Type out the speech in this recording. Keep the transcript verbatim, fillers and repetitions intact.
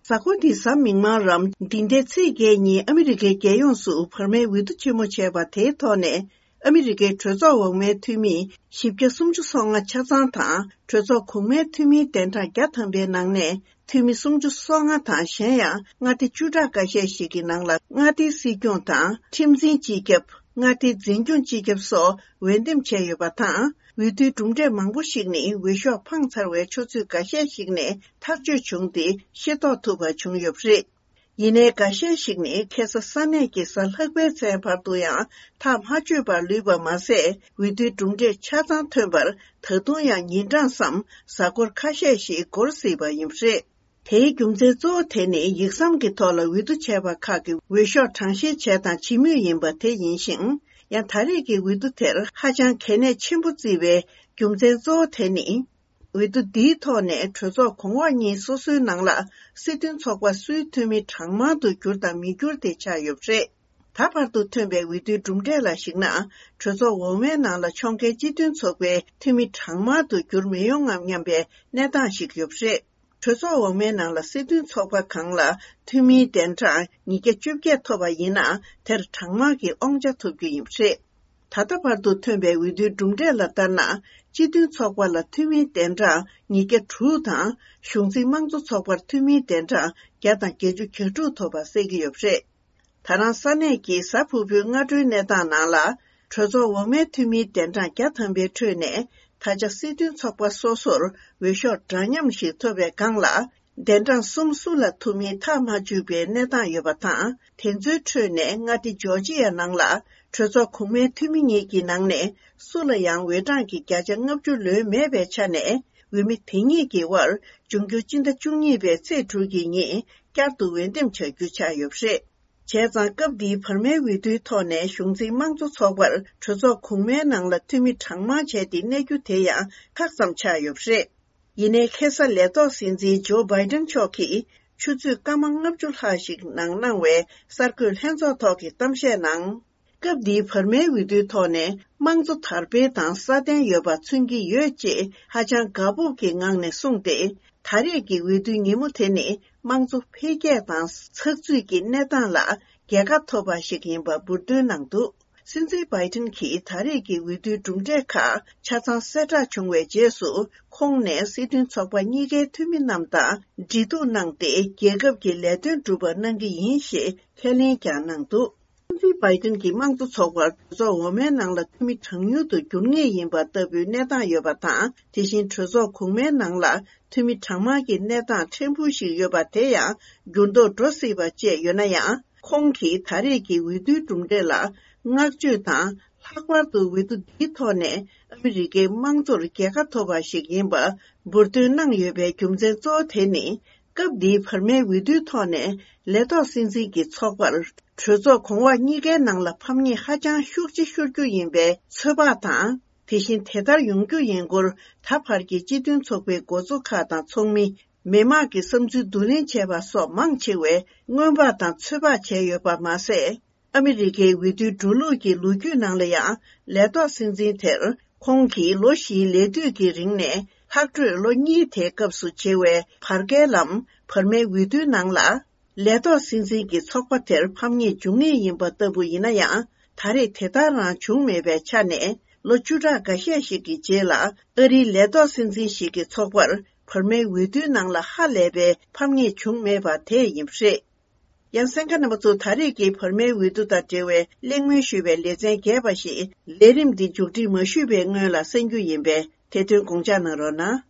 གཟའ་འཁོར་འདིའི་གཟའ་མིག་དམར་རམ་འདི་ཟླའི་ཚེས་བརྒྱད་ཉིན་ཨ་མི་རི་ཀའི་རྒྱལ་ཡོངས་སུ་བར་མའི་འོས་བསྡུ་ཆེན་མོ་བྱས་པ་དེའི་ཐོག་ནས། ཨ་མི་རི་ཀའི་གྲོས་ཚོགས་འོག་མའི་འཐུས་མི་བཞི་བརྒྱ་སུམ་ཅུ་སོ་ལྔ་ཆ་ཚང་དང་། གྲོས་ཚོགས་གོང་མའི་འཐུས་མིའི་གདན་གྲངས་བརྒྱ་ཐམ་པའི་ནང་ནས་འཐུས་མི་སུམ་ཅུ་སོ་ལྔ་དང་། གཞན་ཡང་མངའ་སྡེ་བཅུ་ཕྲག་འགའ་ཤས་ཤིག་གི་ནང་ལ་མངའ་སྡེའི་སྲིད་སྐྱོང་དང་ཁྲིམས་འཛིན་སྤྱི་ཁྱབ། མངའ་སྡེའི་འཛིན་སྐྱོང་སྤྱི་ཁྱབ་སོགས་འོས་འདེམས་བྱས་ཡོད་པ་དང་། འོས་བསྡུའི་གྲུབ་འབྲས་མང་པོ་ཞིག་ནི་འོས་ཤོག་འཕངས་ཚར་བའི་ཆུ་ཚོད་འགའ་ཤས་ཤིག་ནས་ཐག་གཅོད་བྱུང་སྟེ་ཤེས་རྟོགས་ཐུབ་པ་བྱུང་ཡོད་པ་རེད། ཡིན་ནའི་འགའ་ཤས་ཤིག་ནི་ཁ་སང་ས་གནས་ཀྱི་གཟའ་ལྷག་པའི་མཚན་བར་དུ་ཡང་ཐག་མ་ཆོད་པར་ལུས་པ་མ་ཟད། འོས་བསྡུའི་གྲུབ་འབྲས་ཆ་ཚང་ཐོན་པར་ད་དུང་ཡང་ཉིན་གྲངས་སམ་གཟའ་འཁོར་ཁ་ཤས་ཤིག་འགོར་སྲིད་པ་ཡིན་པ་རེད། དེའི་རྒྱུ་མཚན་གཙོ་བོ་དེ་ནི་ཡིག་ཟམ་གྱི་ཐོག་ལ་འོས་བསྡུ་བྱས་པ་ཁག་གི་འོས་ཤོག་གྲངས་བཤེར་བྱས་དང་བྱེད་མུས་ཡིན་པ་དེ་ཡིན་ཞིང་། ཡང་ད་རེས་ཀྱི་འོས་བསྡུ་དེར་ཧ་ཅང་གལ་གནད་ཆེན་པོ་བརྩིས་པའི་རྒྱུ་མཚན་གཙོ་བོ་དེ་ནི། འོས་བསྡུ་འདིའི་ཐོག་ནས་གྲོས་ཚོགས་གོང་འོག་གཉིས་སོ་སོའི་ནང་ལ་སྲིད་དོན་ཚོགས་པ་སུའི་འཐུས་མི་གྲངས་མང་དུ་གྱུར་དང་མི་གྱུར་དེ་ཆགས་ཡོད་པ་རེད། ད་བར་དུ་ཐོན་པའི་འོས་བསྡུའི་གྲུབ་འབྲས་ལ་གཞིགས་ན། གྲོས་ཚོགས་འོག་མའི་ནང་ལ་ཕྱོགས་འགལ་སྤྱི་མཐུན་ཚོགས་པའི་འཐུས་མི་གྲངས་མང་དུ་འགྱུར་མི་ཡོང་ངམ་སྙམ་པའི་གནས་སྟངས་ཤིག་ཡོད་པ་རེད། གྲོས་ཚོགས་འོག་མའི་ནང་ལ་སྲིད་དོན་ཚོགས་པ་གང་ལ་འཐུས་མིའི་གདན་གྲངས་ཉིས་བརྒྱ་བཅོ་བརྒྱད་ཐོབ་པ་ཡིན་ན། དེར་གྲངས་མང་གི་དབང་ཆ་ཐོབ་རྒྱུ་ཡིན་པ་རེད། ད་ལྟ་བར་དུ་ཐོན་པའི་འོས་བསྡུའི་གྲུབ་འབྲས་ལ་ལྟར་ན། སྤྱི་མཐུན་ཚོགས་པ་ལ་འཐུས་མིའི་གདན་གྲངས་ཉིས་བརྒྱ་དྲུག་དང་། གཞུང་འཛིན་དམངས་གཙོ་ཚོགས་པར་འཐུས་མིའི་གདན་གྲངས་བརྒྱ་དང་བརྒྱད་ཅུ་གྱ་དྲུག་ཐོབ་པ་གསལ་གྱི་ཡོད་པ་རེད། ད་རང་ས་གནས་ཀྱི་གཟའ་ཕུར་བུའི་སྔ་དྲོའི་གནས་སྟངས་ནང་ལ། གྲོས་ཚོགས་འོག་མའི་འཐུས་མིའི་གདན་གྲངས་བརྒྱ་ཐམ་པའི་ཁྲོད་ནས། ད་ཆ་སྲིད་དོན་ཚོགས་པ་སོ་སོར་འོས་ཤོག་འདྲ་མཉམ་ཞིག་ཐོབ་པའི་སྒང་ལ། གདན་གྲངས་གསུམ་སུ་ལ་ཐོབ་མིན་ཐག་མ་ཆོད་པའི་གནས་སྟངས་ཡོད་པ་དང་། དེ་ཚོའི་ཁྲོད་ནས་མངའ་སྡེ་ཇོར་ཇི་ཡ་ནང་ལ་གྲོས་ཚོགས་གོང་མའི་འཐུས་མི་གཉིས་ཀྱི་ནང་ནས་སུ་ལ་ཡང་འོས་གྲངས་ཀྱི་བརྒྱ་ཆ་ལྔ་བཅུ་ལོན་མེད་པའི་ཆ་ནས། འོས་མི་དེ་གཉིས་ཀྱི་དབར་འབྱུང་འགྱུར་སྤྱི་ཟླ་བཅུ་གཉིས་པའི་ཚེས་དྲུག་གི་ཉིན་བསྐྱར་དུ་འོས་འདེམས་བྱ་རྒྱུ་ཆགས་ཡོད་པ་རེད། བྱས་ཙང་སྐབས་འདིའི་བར་མའི་འོས་བསྡུའི་ཐོག་ནས་གཞུང་འཛིན་དམངས་གཙོ་ཚོགས་པར་གྲོས་ཚོགས་གོང་མའི་ནང་ལ་འཐུས་མི་གྲངས་མང་བྱས་ཏེ་གནས་རྒྱུ་དེ་ཡང་ཁག་ཙམ་ཆགས་ཡོད་པ་རེད། ཡིན་ནའི་ཁ་སང་ལས་ཐོག་སྲིད་འཛིན་ཇོ་བྷའི་ཏན་མཆོག་གིས་ཆུ་ཚོད་སྐར་མ་ལྔ་བཅུ་ལྷག་ཞིག་ནང་གནང་བའི་གསར་འགོད་ལྷན་ཚོགས་ཐོག་གི་གཏམ་བཤད་ནང་། སྐབས་འདིའི་བར་མའི་འོས་བསྡུའི་ཐོག་ནས་དམངས་གཙོ་དར་སྤེལ་དང་སྲ་བརྟན་ཡོད་པ་མཚོན་གྱི་ཡོད་ཅེས་ཧ་ཅང་དགའ་སྤོབས་ཀྱི་ངང་ནས་གསུངས་ཏེ། ད་རེས་ཀྱི་འོས་བསྡུའི་ཉིན་མོ་དེ་ནི་དམངས་གཙོ་འཕེལ་རྒྱས་དང་ཚགས་ཚུད་ཀྱི་གནས་སྟངས་ལ་རྒྱལ་ཁ་ཐོབ་པ་ཞིག་ཡིན་པ་འབུར་འདོན་གནང་འདུག། སྲིད་འཛིན་བྷའི་ཏིན་གྱིས་ད་རེས་ཀྱི་འོས་བསྡུའི་གྲུབ་འབྲས་ཁག་ཆ་ཚང་གསལ་བསྒྲགས་བྱུང་བའི་རྗེས་སུ། ཁོང་ནས་སྲིད་དོན་ཚོགས་པ་གཉིས་ཀའི་འཐུས་མི་རྣམས་དང་འབྲེལ་གཏུག་གནང་སྟེ། རྒྱལ་ཁབ་ཀྱི་ལས་དོན་སྒྲུབ་པར་གནང་གི་ཡིན་ཞེས་ཁས་ལེན་ཀྱང་གནང་འདུག། སྲིད་འཛིན་བྷའི་ཏིན་གྱིས་དམངས་གཙོ་ཚོགས་པར་གྲོས་ཚོགས་འོག་མའི་ནང་ལ་འཐུས་མི་གྲངས་ཉུང་དུ་འགྱུར་ངེས་ཡིན་པ་ལྟ་བུའི་གནས་སྟངས་ཡོད་པ་དང་། དེ་བཞིན་གྲོས་ཚོགས་གོང་མའི་ནང་ལ་འཐུས་མི་གྲངས་མང་གི་གནས་སྟངས་ཕྲན་བུ་ཞིག་ཡོད་པ་དེ་ཡང་འགྱུར་ལྡོག་འགྲོ་སྲིད་པ་བཅས་ཡོད་ན་ཡང་། ཁོང་གིས་ད་རེས་ཀྱི་འོས་བསྡུའི་གྲུབ་འབྲས་ལ་བསྔགས་བརྗོད་དང་། ལྷག་པར་དུ་འོས་བསྡུ་འདིའི་ཐོག་ནས་ཨ་མི་རི་ཀའི་དམངས་གཙོར་རྒྱལ་ཁ་ཐོབ་པ་ཞིག་ཡིན་པ་འབུར་འདོན་གནང་ཡོད་པའི་རྒྱུ་མཚན་གཙོ་བོ་དེ་ནི། སྐབས་འདིའི་བར་མའི་འོས་བསྡུའི་ཐོག་ནས་ལས་ཐོག་སྲིད་འཛིན་གྱི་ཚོགས་པར་གྲོས་ཚོགས་གོང་འོག་གཉིས་ཀའི་ནང་ལ་ཕམ་ཉེས་ཧ་ཅང་ཤུགས་ཆེ་ཤོར་རྒྱུ་ཡིན་པའི་ཚོད་དཔག་དང་། དེ་བཞིན་དེ་ལྟར་ཡོང་རྒྱུ་ཡིན་སྐོར་ད་བར་གྱི་སྤྱི་མཐུན་ཚོགས་པའི་འགོ་གཙོ་ཁག་དང་ཚོགས་མི། མི་མང་གི་བསམ་ཚུལ་བསྡུ་ལེན་བྱས་པ་སོགས་མང་ཆེ་བས་སྔོན་དཔག་དང་ཚོད་དཔག་བྱས་ཡོད་པ་མ་ཟད། ཨ་མི་རི་ཀའི་འོས་བསྡུའི་འགྲོ་ལུགས་ཀྱི་ལོ་རྒྱུས་ནང་ལ་ཡང་། ལས་ཐོག་སྲིད་འཛིན་དེར་ཁོང་གིས་ལོ་བཞིའི་ལས་དུས་ཀྱི་རིང་ནས་ལྷག་འཕྲོས་ལོ་གཉིས་དེའི་སྐབས་སུ་བྱེད་པའི་བར་བརྒལ་ལམ་བར་མའི་འོས་བསྡུའི་ནང་ལ། ལས་ཐོག་སྲིད་འཛིན་གྱི་ཚོགས་པ་དེར་ཕམ་ཉེས་འབྱུང་ངེས་ཡིན་པ་ལྟ་བུ་ཡིན་ན་ཡང་། ད་རེས་དེ་ལྟར་རང་བྱུང་མེད་པའི་ཆ་ནས། ལོ་བཅུ་ཕྲག་འགའ་ཤས་ཤིག་གི་རྗེས་ལ། ཨ་རིའི་ལས་ཐོག་སྲིད་འཛིན་ཞིག་གི་ཚོགས་པར་བར་མའི་འོས་བསྡུའི་ནང་ལ་ཧ་ལས་པའི་ཕམ་ཉེས་བྱུང་མེད་པ་དེ་ཡིན་པ་རེད། ཡང་གསན་མཁན་རྣམ་པ་ཚོ། ད་རེས་ཀྱི་བར་མའི་འོས་བསྡུ་དང་འབྲེལ་བའི་གླེང་མོལ་ཞུས་པའི་ལེ་ཚན་རྒྱས་པ་ཞིག་ལས་རིམ་འདི་མཇུག་སྒྲིལ་མ་ཞུས་པའི་སྔོན་ལ་གསན་རྒྱུ་ཡིན་པས། དེ་དོན་དགོངས་འཇགས་གནང་རོགས་གནང་།